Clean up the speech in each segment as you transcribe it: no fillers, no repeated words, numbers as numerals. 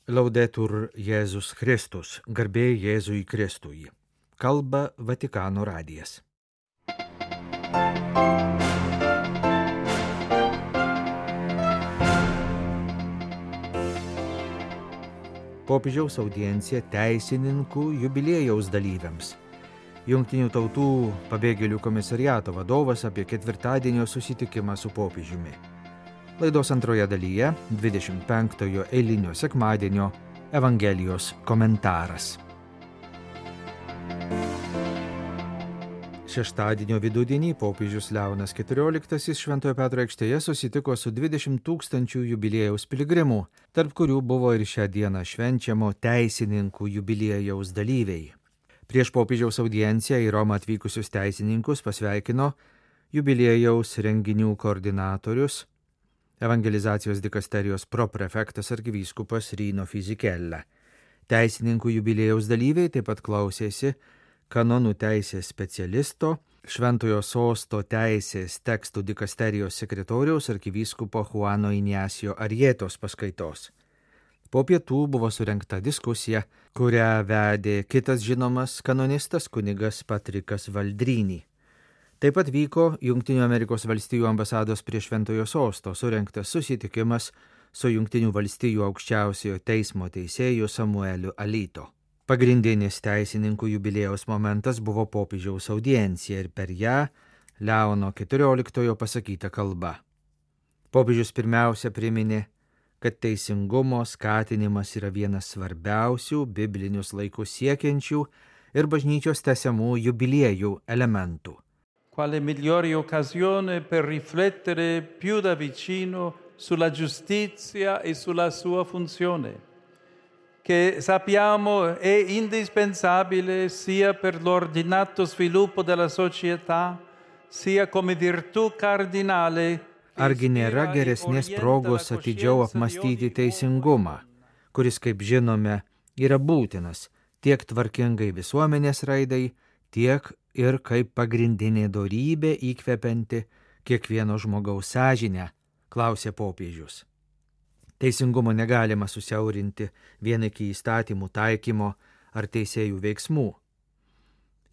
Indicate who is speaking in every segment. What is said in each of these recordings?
Speaker 1: Laudetur Jėzus Kristus, garbė Jėzui Kristui. Kalba Vatikano radijas. Popiežiaus audiencija teisininkų jubiliejaus dalyviams. Jungtinių tautų pabėgėlių komisariato vadovas apie ketvirtadienio susitikimą su popiežiumi. Laidos antroje dalyje 25-ojo eilinio sekmadienio Evangelijos komentaras. Šeštadienio vidudienį popiežius Leonas XIV Šventojo Petro aikštėje susitiko su 20 000 jubiliejaus piligrimų, tarp kurių buvo ir šią dieną švenčiamo teisininkų jubiliejaus dalyviai. Prieš popiežiaus audienciją į Romą atvykusius teisininkus pasveikino jubiliejaus renginių koordinatorius, evangelizacijos dikasterijos proprefektas arkivyskupas Rino Fisichella. Teisininkų jubiliejaus dalyviai taip pat klausėsi kanonų teisės specialisto, Šventojo Sosto teisės tekstų dikasterijos sekretoriaus arkivyskupo Juano Ignacio Arrietos paskaitos. Po pietų buvo surengta diskusija, kurią vedė kitas žinomas kanonistas kunigas Patrikas Valdrynį. Taip pat vyko Jungtinių Amerikos valstijų ambasados prie Šventojo Sosto surengtas susitikimas su Jungtinių valstijų aukščiausiojo teismo teisėju Samueliu Alito. Pagrindinis teisininkų jubiliejaus momentas buvo popiežiaus audiencija ir per ją Leono XIV pasakyta kalba. Popiežius pirmiausia priminė, kad teisingumo skatinimas yra vienas svarbiausių biblinius laikus siekiančių ir bažnyčios tęsiamų jubiliejų elementų.
Speaker 2: Quale migliore occasione per riflettere più da vicino sulla giustizia e sulla sua funzione, che sappiamo è indispensabile sia per l'ordinato sviluppo della società, sia come virtù cardinale.
Speaker 1: Argi nėra geresnės progos atidžiau apmastyti teisingumą, kuris, kaip žinome, yra būtinas tiek tvarkingai visuomenės raidai, tiek ir kaip pagrindinė dorybė įkvepianti kiekvieno žmogaus sąžinę, klausė popiežius. Teisingumo negalima susiaurinti vien iki įstatymų taikymo ar teisėjų veiksmų.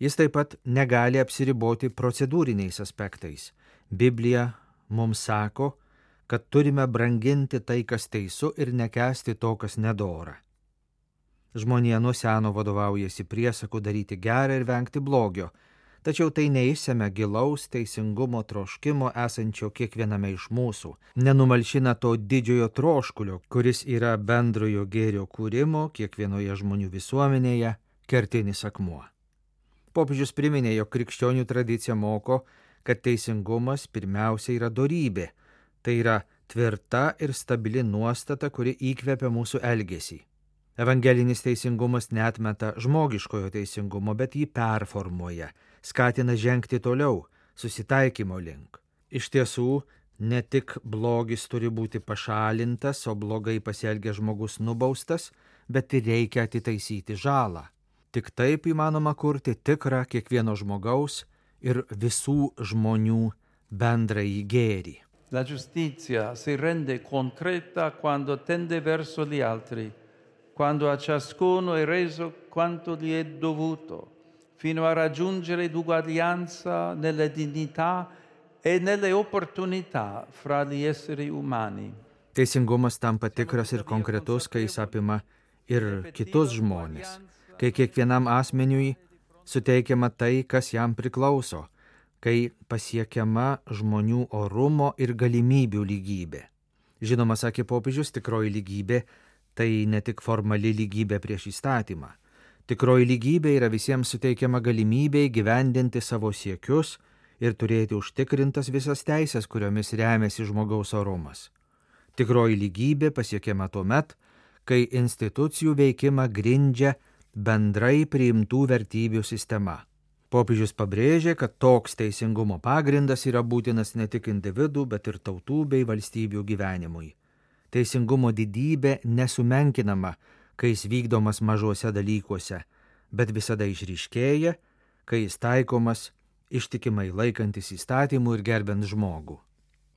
Speaker 1: Jis taip pat negali apsiriboti procedūriniais aspektais. Biblija mums sako, kad turime branginti tai, kas teisu, ir nekęsti to, kas nedora. Žmonija nuo seno vadovaujasi priesaku daryti gerą ir vengti blogio, tačiau tai neišsemia gilaus teisingumo troškimo esančio kiekviename iš mūsų, nenumalšina to didžiojo troškulio, kuris yra bendrojo gėrio kūrimo kiekvienoje žmonių visuomenėje kertinis akmuo. Popiežius priminė, jog krikščionių tradicija moko, kad teisingumas pirmiausia yra dorybė, tai yra tvirta ir stabili nuostata, kuri įkvepia mūsų elgesį. Evangelinis teisingumas neatmeta žmogiškojo teisingumo, bet jį performuoja, skatina žengti toliau, susitaikymo link. Iš tiesų, ne tik blogis turi būti pašalintas, o blogai pasielgęs žmogus nubaustas, bet ir reikia atitaisyti žalą. Tik taip įmanoma kurti tikrą kiekvieno žmogaus ir visų žmonių bendrąjį gėrį.
Speaker 2: La giustizia si rende concreta quando tende verso gli altri, quando a ciascuno è reso quanto gli è dovuto, fino a raggiungere l'uguaglianza nella dignità e nelle opportunità fra gli esseri umani.
Speaker 1: Teisingumas tampa tikras ir konkretus, kai jis apima ir kitus žmonės, kai kiekvienam asmeniui suteikiama tai, kas jam priklauso, kai pasiekiama žmonių orumo ir galimybių lygybė. Žinoma, sakė popiežius, tikroji lygybė tai ne tik formali lygybė prieš įstatymą. Tikroji lygybė yra visiems suteikiama galimybė įgyvendinti savo siekius ir turėti užtikrintas visas teisės, kuriomis remiasi žmogaus orumas. Tikroji lygybė pasiekiama tuomet, kai institucijų veikimą grindžia bendrai priimtų vertybių sistema. Popiežius pabrėžė, kad toks teisingumo pagrindas yra būtinas ne tik individų, bet ir tautų bei valstybių gyvenimui. Teisingumo didybė nesumenkinama, kai jis vykdomas mažuose dalykuose, bet visada išryškėja, kai jis taikomas ištikimai laikantis įstatymų ir gerbent žmogų.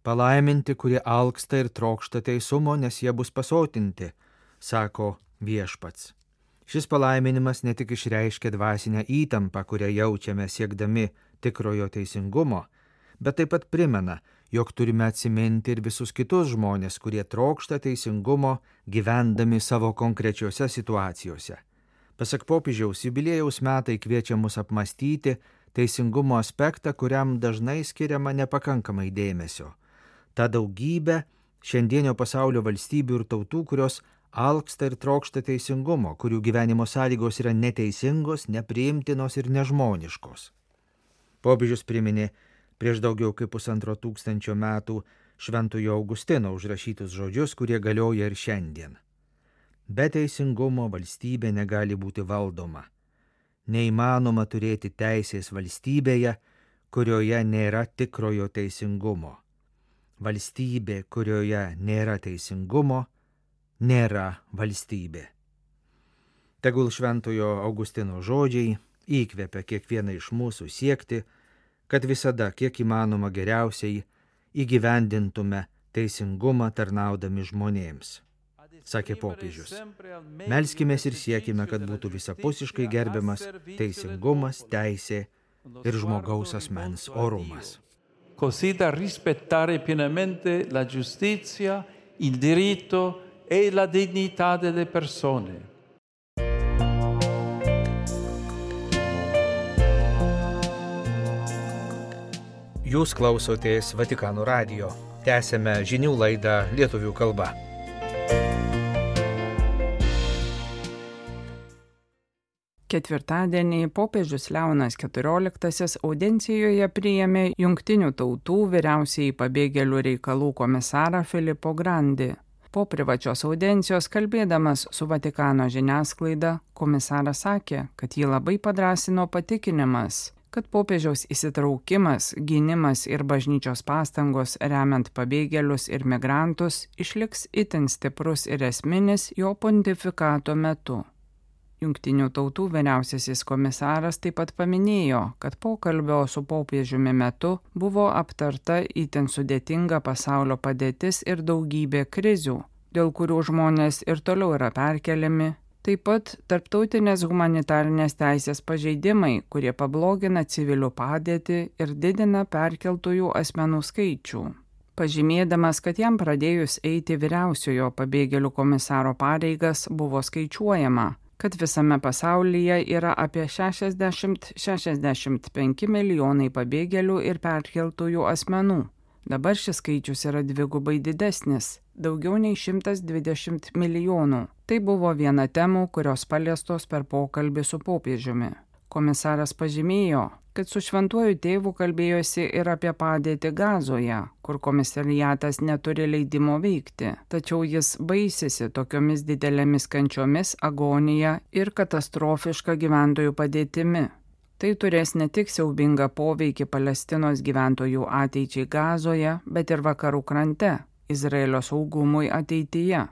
Speaker 1: Palaiminti, kurie alksta ir trokšta teisumo, nes jie bus pasotinti, sako viešpats. Šis palaiminimas ne tik išreiškia dvasinę įtampą, kurią jaučiame siekdami tikrojo teisingumo, bet taip pat primena, jog turime atsiminti ir visus kitus žmonės, kurie trokšta teisingumo gyvendami savo konkrečiose situacijose. Pasak popiežiaus, jubiliejaus metai kviečia mus apmastyti teisingumo aspektą, kuriam dažnai skiriama nepakankamai dėmesio. Ta daugybė šiandienio pasaulio valstybių ir tautų, kurios alksta ir trokšta teisingumo, kurių gyvenimo sąlygos yra neteisingos, nepriimtinos ir nežmoniškos. Popiežius priminė prieš daugiau kaip 1500 metų Šventojo Augustino užrašytus žodžius, kurie galioja ir šiandien. Be teisingumo valstybė negali būti valdoma. Neįmanoma turėti teisės valstybėje, kurioje nėra tikrojo teisingumo. Valstybė, kurioje nėra teisingumo, nėra valstybė. Tegul Šventojo Augustino žodžiai įkvepia kiekvieną iš mūsų siekti, kad visada, kiek įmanoma geriausiai, įgyvendintume teisingumą tarnaudami žmonėms, sakė popiežius. Melskimės ir siekime, kad būtų visapusiškai gerbiamas teisingumas, teisė ir žmogaus asmens orumas.
Speaker 2: Così da rispettare pienamente la giustizia, il diritto e la dignità delle persone.
Speaker 1: Jūs klausotės Vatikano radijo. Tęsėme žinių laidą lietuvių kalba.
Speaker 3: Ketvirtadienį popiežius Leonas XIV audiencijoje priėmė Jungtinių tautų vyriausiąjį pabėgėlių reikalų komisarą Filippo Grandi. Po privačios audiencijos kalbėdamas su Vatikano žiniasklaida, komisaras sakė, kad jį labai padrąsino patikinimas, kad popiežiaus įsitraukimas, gynimas ir bažnyčios pastangos remiant pabėgėlius ir migrantus išliks itin stiprus ir esminis jo pontifikato metu. Jungtinių tautų vyriausiasis komisaras taip pat paminėjo, kad pokalbio su popiežiumi metu buvo aptarta itin sudėtinga pasaulio padėtis ir daugybė krizių, dėl kurių žmonės ir toliau yra perkeliami. Taip pat tarptautinės humanitarinės teisės pažeidimai, kurie pablogina civilių padėtį ir didina perkeltųjų asmenų skaičių. Pažymėdamas, kad jam pradėjus eiti vyriausiojo pabėgėlių komisaro pareigas, buvo skaičiuojama, kad visame pasaulyje yra apie 60-65 milijonai pabėgėlių ir perkeltųjų asmenų. Dabar šis skaičius yra dvigubai didesnis, daugiau nei 120 milijonų. Tai buvo viena temų, kurios paliestos per pokalbį su popiežiumi. Komisaras pažymėjo, kad su šventuoju tėvu kalbėjosi ir apie padėtį Gazoje, kur komisariatas neturi leidimo veikti, tačiau jis baisisi tokiomis didelėmis kančiomis, agonija ir katastrofiška gyventojų padėtimi. Tai turės ne tik siaubingą poveikį Palestinos gyventojų ateičiai Gazoje, bet ir vakarų krante, Izraelio saugumui ateityje.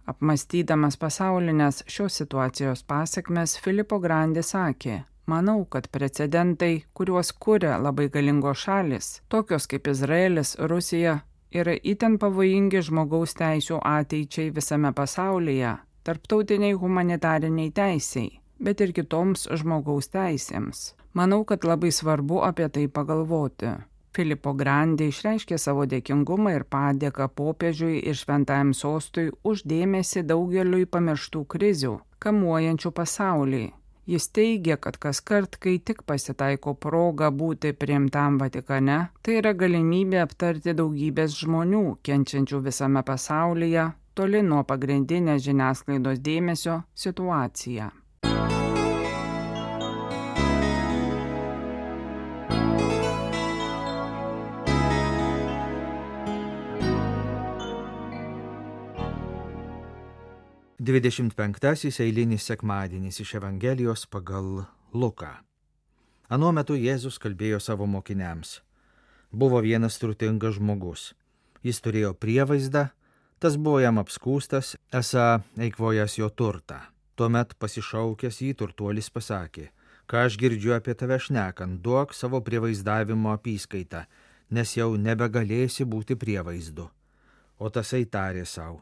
Speaker 3: Apmąstydamas pasaulinės šios situacijos pasekmes, Filippo Grandi sakė, manau, kad precedentai, kuriuos kuria labai galingos šalis, tokios kaip Izraelis, Rusija, yra itin pavojingi žmogaus teisių ateičiai visame pasaulyje, tarptautiniai humanitariniai teisiai, bet ir kitoms žmogaus teisėms. Manau, kad labai svarbu apie tai pagalvoti. Filippo Grandi išreiškė savo dėkingumą ir padėką popiežiui ir šventajam sostui už dėmesį daugeliui pamirštų krizių, kamuojančių pasaulį. Jis teigia, kad kaskart, kai tik pasitaiko proga būti priimtam Vatikane, tai yra galimybė aptarti daugybės žmonių, kenčiančių visame pasaulyje, toli nuo pagrindinės žiniasklaidos dėmesio situaciją.
Speaker 1: Dvidešimt penktasis eilinis sekmadienis iš Evangelijos pagal Luką. Anuo metu Jėzus kalbėjo savo mokiniams. Buvo vienas turtingas žmogus. Jis turėjo prievaizdą, tas buvo jam apskūstas, esą eikvojęs jo turtą. Tuomet pasišaukęs jį turtuolis pasakė, ką aš girdžiu apie tave šnekant, duok savo prievaizdavimo apyskaitą, nes jau nebegalėsi būti prievaizdu. O tasai tarė sau,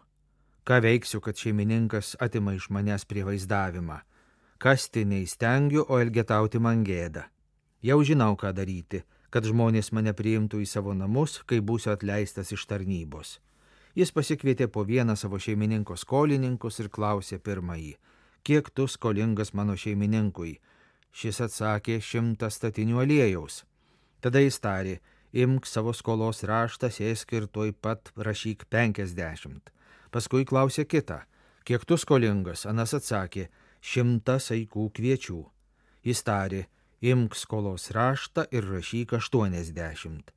Speaker 1: Ką veiksiu, kad šeimininkas atima iš manęs prievaizdavimą? Kasti neįstengiu, o elgetauti man gėda. Jau žinau, ką daryti, kad žmonės mane priimtų į savo namus, kai būsiu atleistas iš tarnybos. Jis pasikvietė po vieną savo šeimininko skolininkus ir klausė pirmąjį: kiek tu skolingas mano šeimininkui? Šis atsakė: 100 statinių aliejaus. Tada jis tarė: imk savo skolos raštą, sėsk ir tuoj pat rašyk 50. Paskui klausė kitą: kiek tu skolingas? Anas atsakė: 100 saikų kviečių. Jis tarė: imk skolos raštą ir rašyk 80.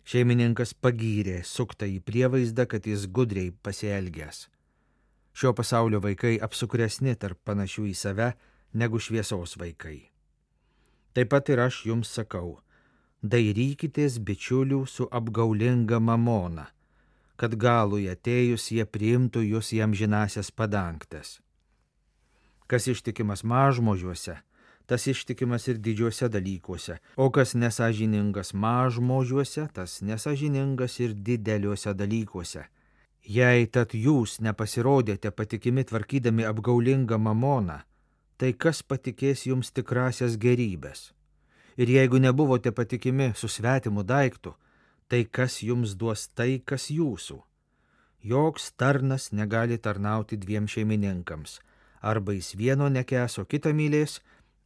Speaker 1: Šeimininkas pagyrė suktąjį prievaizdą, kad jis gudriai pasielgęs. Šio pasaulio vaikai apsukresni tarp panašių į save negu šviesos vaikai. Taip pat ir aš jums sakau: dairykitės bičiulių su apgaulinga mamona, kad galui atėjus jie priimtų jūs į amžinąsias padangtes. Kas ištikimas mažmožiuose, tas ištikimas ir didžiuose dalykuose, o kas nesąžiningas mažmožiuose, tas nesąžiningas ir dideliuose dalykuose. Jei tad jūs nepasirodėte patikimi tvarkydami apgaulingą mamoną, tai kas patikės jums tikrasias gerybės? Ir jeigu nebuvote patikimi su svetimu daiktu, tai kas jums duos tai, kas jūsų? Joks tarnas negali tarnauti 2 šeimininkams, arba jis vieno nekęs, o kitą mylės,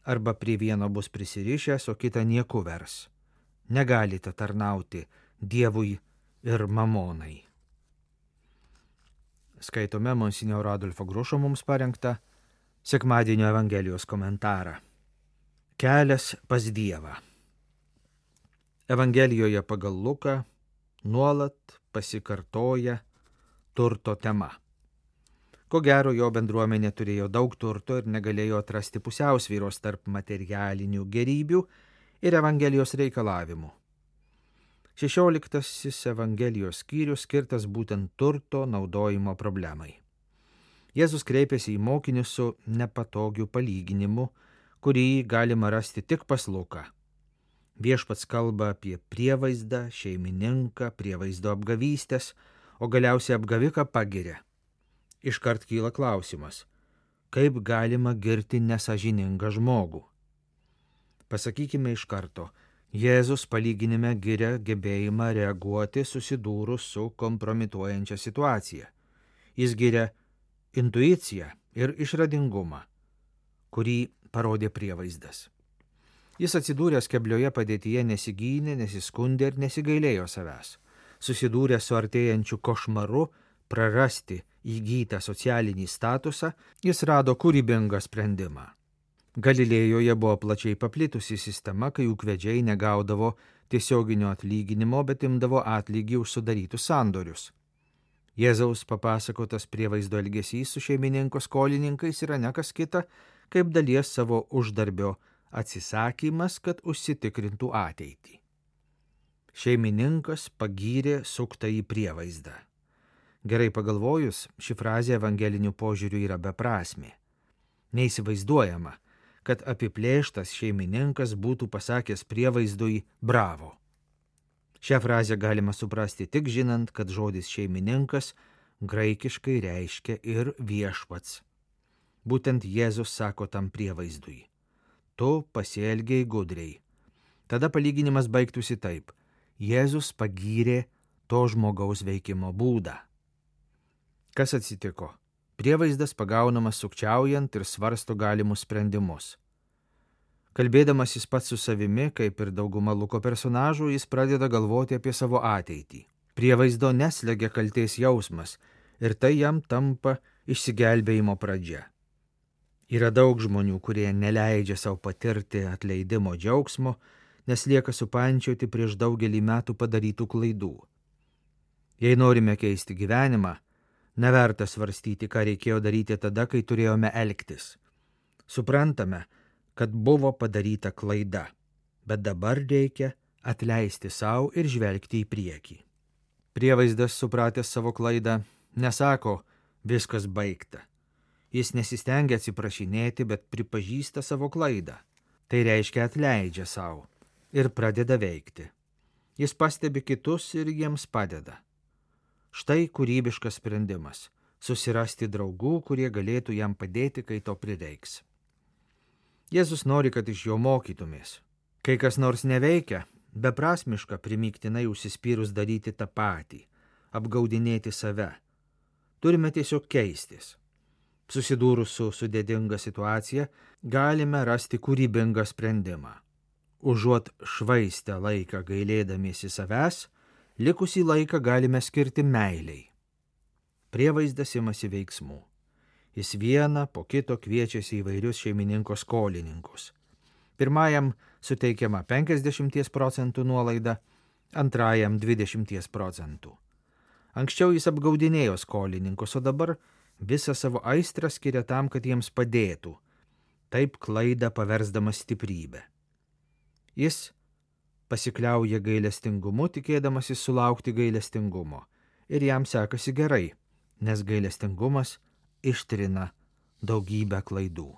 Speaker 1: arba prie vieno bus prisirišęs, o kitą nieku vers. Negalite tarnauti Dievui ir mamonai. Skaitome monsinjoro Adolfo Grušo mums parengtą sekmadienio Evangelijos komentarą. Kelias pas Dievą. Evangelijoje pagal Luką nuolat pasikartoja turto tema. Ko gero, jo bendruomenė turėjo daug turto ir negalėjo atrasti pusiausvyros tarp materialinių gerybių ir Evangelijos reikalavimų. 16 Evangelijos skyrius skirtas būtent turto naudojimo problemai. Jėzus kreipėsi į mokinius su nepatogiu palyginimu, kurį galima rasti tik pas Luką. Viešpats kalba apie prievaizdą, šeimininką, prievaizdo apgavystės, o galiausiai apgaviką pagiria. Iškart kyla klausimas: kaip galima girti nesąžiningą žmogų? Pasakykime iš karto, Jėzus palyginime giria gebėjimą reaguoti susidūrus su kompromituojančia situacija. Jis giria intuiciją ir išradingumą, kurį parodė prievaizdas. Jis atsidūręs keblioje padėtyje nesigynė, nesiskundė ir nesigailėjo savęs. Susidūręs su artėjančiu košmaru prarasti įgytą socialinį statusą, jis rado kūrybingą sprendimą. Galilėjoje buvo plačiai paplitusi sistema, kai ūkvedžiai negaudavo tiesioginio atlyginimo, bet imdavo atlygį už sudarytus sandorius. Jėzaus papasakotas prievaizdo elgesys su šeimininko skolininkais yra ne kas kita, kaip dalies savo uždarbio atsisakymas, kad užsitikrintų ateitį. Šeimininkas pagyrė suktąjį prievaizdą. Gerai pagalvojus, ši frazė evangeliniu požiūriu yra beprasmė. Neįsivaizduojama, kad apiplėštas šeimininkas būtų pasakęs prievaizdui bravo. Šią frazę galima suprasti tik žinant, kad žodis šeimininkas graikiškai reiškia ir viešpats. Būtent Jėzus sako tam prievaizdui: tu pasielgei gudriai. Tada palyginimas baigtųsi taip: Jėzus pagyrė to žmogaus veikimo būdą. Kas atsitiko? Prievaizdas pagaunamas sukčiaujant ir svarsto galimus sprendimus. Kalbėdamas jis pats su savimi, kaip ir dauguma Luko personažų, jis pradeda galvoti apie savo ateitį. Prievaizdo neslegia kaltės jausmas ir tai jam tampa išsigelbėjimo pradžia. Yra daug žmonių, kurie neleidžia savo patirti atleidimo džiaugsmo, nes lieka supančioti prieš daugelį metų padarytų klaidų. Jei norime keisti gyvenimą, neverta svarstyti, ką reikėjo daryti tada, kai turėjome elgtis. Suprantame, kad buvo padaryta klaida, bet dabar reikia atleisti savo ir žvelgti į priekį. Prievaizdas, supratęs savo klaidą, nesako viskas baigta. Jis nesistengia atsiprašinėti, bet pripažįsta savo klaidą. Tai reiškia atleidžia savo ir pradeda veikti. Jis pastebi kitus ir jiems padeda. Štai kūrybiškas sprendimas. susirasti draugų, kurie galėtų jam padėti, kai to prireiks. Jėzus nori, kad iš jo mokytumės. Kai kas nors neveikia, beprasmiška primygtinai užsispyrus daryti tą patį, apgaudinėti save. Turime tiesiog keistis. Susidūrus su sudėtinga situacija, galime rasti kūrybingą sprendimą. Užuot švaistę laiką gailėdamiesi savęs, likusį laiką galime skirti meiliai. Prievaizdas imasi veiksmų. Jis vieną po kito kviečiasi įvairius šeimininko skolininkus. Pirmajam suteikiama 50% nuolaida, antrajam 20%. Anksčiau jis apgaudinėjo skolininkus, o dabar visą savo aistrą skiria tam, kad jiems padėtų, taip klaidą paversdamas stiprybę. Jis pasikliauja gailestingumu, tikėdamasis sulaukti gailestingumo, ir jam sekasi gerai, nes gailestingumas ištrina daugybę klaidų.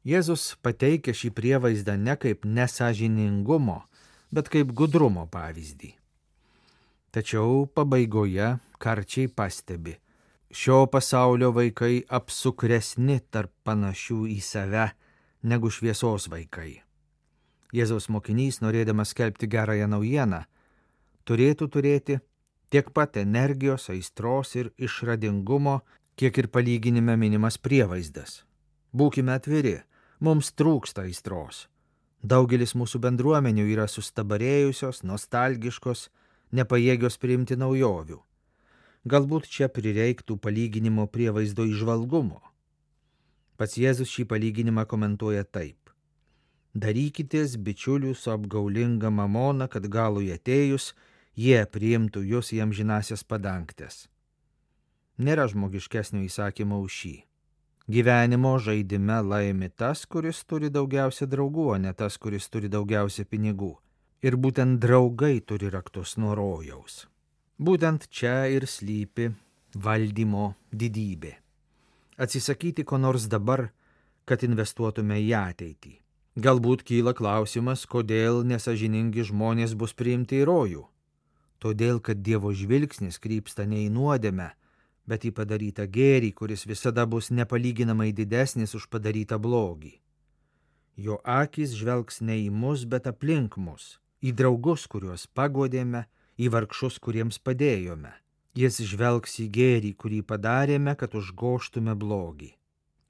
Speaker 1: Jėzus pateikia šį prievaizdą ne kaip nesąžiningumo, bet kaip gudrumo pavyzdį. Tačiau pabaigoje karčiai pastebi, šio pasaulio vaikai apsukresni tarp panašių į save negu šviesos vaikai. Jėzaus mokinys, norėdamas skelbti gerąją naujieną, turėtų turėti tiek pat energijos, aistros ir išradingumo, kiek ir palyginime minimas prievaizdas. Būkime atviri, mums trūksta aistros. Daugelis mūsų bendruomenių yra sustabarėjusios, nostalgiškos, nepajėgios priimti naujovių. Galbūt čia prireiktų palyginimo prievaizdo įžvalgumo. Pats Jėzus šį palyginimą komentuoja taip. Darykitės bičiulių su apgaulinga mamona, kad galui atėjus, jie priimtų jūs į amžinąsias padangtes. Nėra žmogiškesnio įsakymo už šį. Gyvenimo žaidime laimi tas, kuris turi daugiausia draugų, o ne tas, kuris turi daugiausia pinigų. Ir būtent draugai turi raktus nuo rojaus. Būtent čia ir slypi valdymo didybė. Atsisakyti ko nors dabar, kad investuotume į ateitį. Galbūt kyla klausimas, kodėl nesąžiningi žmonės bus priimti į rojų. Todėl, kad Dievo žvilgsnis krypsta ne į nuodėmę, bet į padarytą gėrį, kuris visada bus nepalyginamai didesnis už padarytą blogį. Jo akys žvelgs ne į mus, bet aplink mus, į draugus, kuriuos paguodėme, į vargšus, kuriems padėjome. Jis žvelgs į gėrį, kurį padarėme, kad užgoštume blogį.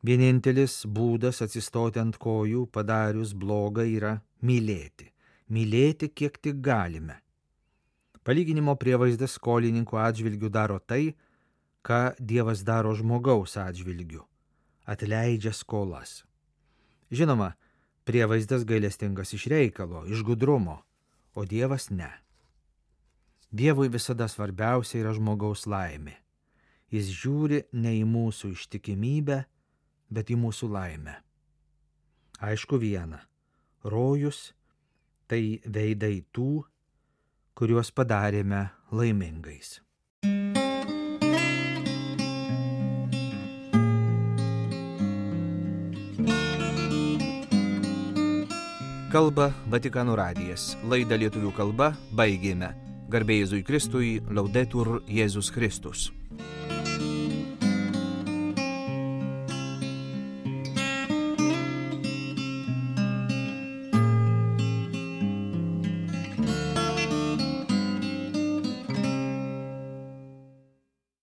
Speaker 1: Vienintelis būdas atsistoti ant kojų padarius blogą yra mylėti. Mylėti, kiek tik galime. Palyginimo prievaizdas skolininkų atžvilgių daro tai, ką Dievas daro žmogaus atžvilgiu. Atleidžia skolas. Žinoma, prievaizdas gailestingas iš reikalo, iš gudrumo, o Dievas ne. Dievui visada svarbiausia yra žmogaus laimė. Jis žiūri ne į mūsų ištikimybę, bet į mūsų laimę. Aišku viena, rojus tai veidai tų, kuriuos padarėme laimingais. Kalba Vatikano radijas. Laidą lietuvių kalba baigėme. Garbė Jėzui Kristui, Laudetur Jėzus Kristus.